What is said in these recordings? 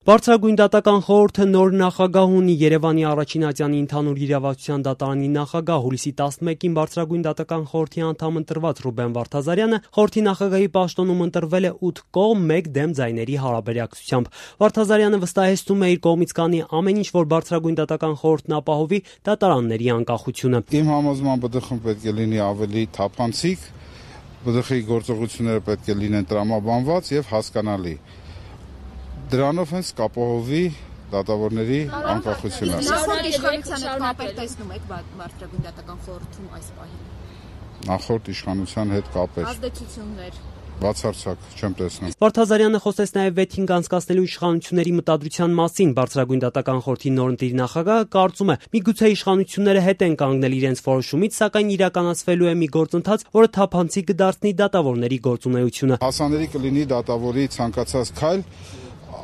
Բարձրագույն դատական խորհուրդը նոր նախագահ ունի։ Երևանի առաջին ատյանի ընդհանուր իրավասության դատարանի նախագահ հուլիսի 11-ին Բարձրագույն դատական խորհրդի անդամ ընտրված Ռուբեն Վարդազարյանը խորհրդի նախագահի պաշտոնում ընտրվել է 8 կողմ 1 դեմ ձայների հարաբերակցությամբ։ Վարդազարյանը վստահեցնում է իր կողմից կանի ամեն ինչ, որ Բարձրագույն դատական խորհուրդն ապահովի դատարանների անկախությունը։ Իմ համոզմամբ ԲԴԽ-ն պետք է լինի ավելի թափանցիկ, ԲԴԽ-ի գործողությունները պետք է լինեն տրամաբանված եւ հասկանալի։ Դրանով հենց կապահովի դատավորների անկախությունը։ Նախորդ իշխանության հետ կապ տեսնում եք Բարձրագույն դատական խորհրդում այս պահին։ Նախորդ իշխանության հետ կապ ազդեցություններ բացարձակ չեմ տեսնում։ Վարդազարյանը խոսեց նաև վեթինգ անցկացնելու իշխանությունների մտադրության մասին։ Բարձրագույն դատական խորհրդի նորընտիր նախագահը կարծում է, միգուցե իշխանությունները հետ են կանգնել իրենց որոշումից, սակայն իրականացվելու է մի գործընթաց, որը թափանցիկ կդարձնի դատավորների գործունեությունը։ Հասանելի կլինի դատավորի ցանկացած քայլ,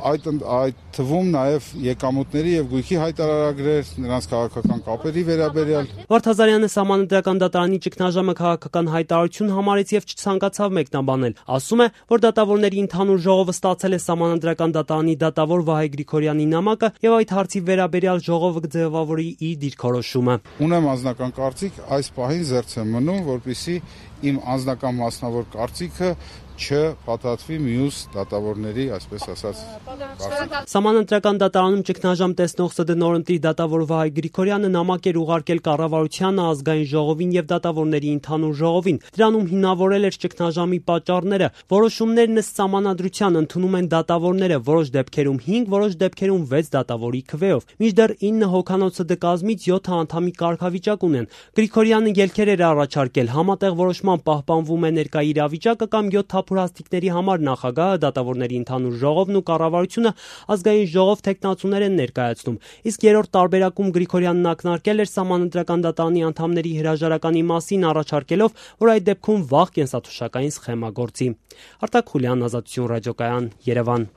այդ թվում նաև եկամուտների եւ գույքի հայտարարագրեր, նրանց քաղաքական կապերի վերաբերյալ։ Վարդազարյանը Սահմանադրական դատարանի ճգնաժամը քաղաքական հայտարարություն համարեց եւ չցանկացավ մեկնաբանել։ Ասում է, որ դատավորների ընդհանուր ժողովը ստացել է Սահմանադրական դատարանի դատավոր Վահե Գրիգորյանի նամակը եւ այդ հարցի վերաբերյալ ժողովը կձևավորի իր դիրքորոշումը։ Ունեմ անձնական կարծիք, այս պահին զերծ եմ մնում, որպեսզի իմ անձնական մասնավոր կարծիքը չփաթաթվի մյուս դատավորների, այսպես ասած, կարծիք։ Սահմանադրական դատարանում ճգնաժամ տեսնող ՍԴ նորընտիր դատավոր Վահե Գրիգորյանը նամակ էր ուղարկել կառավարությանը, ազգային ժողովին եւ դատավորների ընդհանուր ժողովին։ Դրանում հիմնավորել էր ճգնաժամի պատճառները։ Որոշումներն ըստ սահմանադրության ընդունում են դատավորները, որոշ դեպքերում 5, որոշ դեպքերում 6 դատավորի քվեով։ Մինչդեռ 9 հոգանոց ՍԴ կազմից 7 անդամի կարգավիճակ ունեն։ Գրիգորյանը ելքեր էր առաջարկել, համատեղ որոշման պահպանվում է ներկա իրավիճակը կամ 7 թափուրհաստիկների համար նախագահը, դատավորների ընդհանուր ժողովն ու կառավարությունը ազգային ժողով թեկնածուներ են ներկայացնում։ Իսկ երրորդ տարբերակում Գրիգորյանն ակնարկել էր Սահմանադրական դատարանի անդամների հրաժարականի մասին, առաջարկելով, որ այդ դեպքում վաղ կենսաթոշակային սխեմա գործի։ Արտակ Խուլյան, Ազատություն ռադիոկայան, Երևան։